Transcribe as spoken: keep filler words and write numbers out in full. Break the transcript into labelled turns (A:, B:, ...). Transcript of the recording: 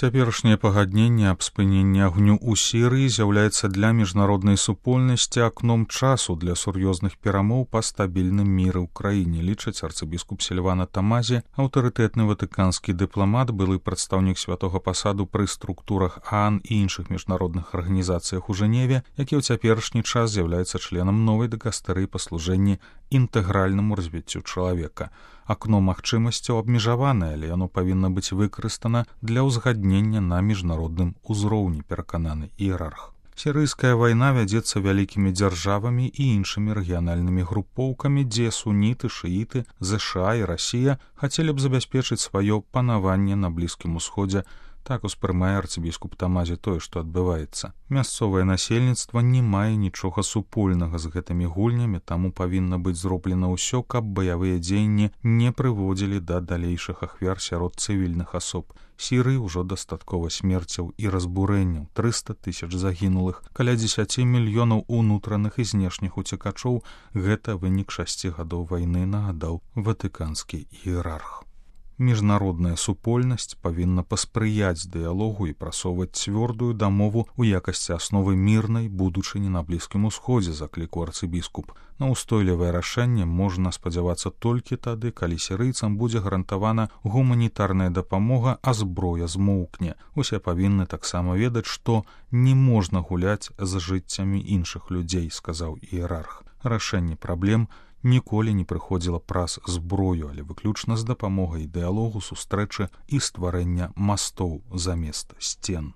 A: Цяперашняе пагадненне аб спыненні агню ў Сірыі з'яўляецца для міжнароднай супольнасці акном часу для сур'ёзных перамоў па стабільным міры ў краіне, лічыць арцыбіскуп Сільвана Тамазі, аўтарытэтны ватыканскі дыпламат, былы прадстаўнік святога пасаду пры структурах ААН і іншых міжнародных арганізацыях у Жэневе, які ў цяперашні час з'яўляецца членам новай дыкастэрыі па служэнні інтэгральнаму развіццю чалавека. Акно магчымасцяў абмежаванае, але яно павінна быць выкарыстана для ўзгаднення на міжнародным узроўні, перакананы іерарх. Сірыйская вайна вядзецца вялікімі дзяржавамі і іншымі рэгіянальнымі групоўкамі, дзе суніты, шыіты, ЗША і Расія хацелі б забяспечыць сваё панаванне на Блізкім Усходзе. Так успрымае арцыбіскуп Тамазі тое, што адбываецца. Мясцовае насельніцтва не мае нічога супольнага з гэтымі гульнямі, таму павінна быць зроблена ўсё, каб баявыя дзеянні не прыводзілі да далейшых ахвяр сярод цывільных асоб. Сірыі ўжо дастаткова смерцяў і разбурэнняў, трыста тысяч загінулых, каля дзесяці мільёнаў унутраных і знешніх уцекачоў. Гэта вынік шасці гадоў вайны, нагадаў ватыканскі іерарх. Міжнародная супольнасць павінна паспрыяць дыялогу і прасоўваць цвёрдую дамову ў якасці асновы мірнай будучыні на Блізкім Усходзе, заклікаў арцыбіскуп. На ўстойлівае рашэнне можна спадзявацца толькі тады, калі сірыйцам будзе гарантавана гуманітарная дапамога, а зброя змоўкне. Усе павінны таксама ведаць, што не можна гуляць з жыццямі іншых людзей, сказаў іерарх. Рашэнне праблем ніколі не прыходзіла праз зброю, але выключна з дапамогай дыялогу, сустрэчы і стварэння мастоў замест сцен.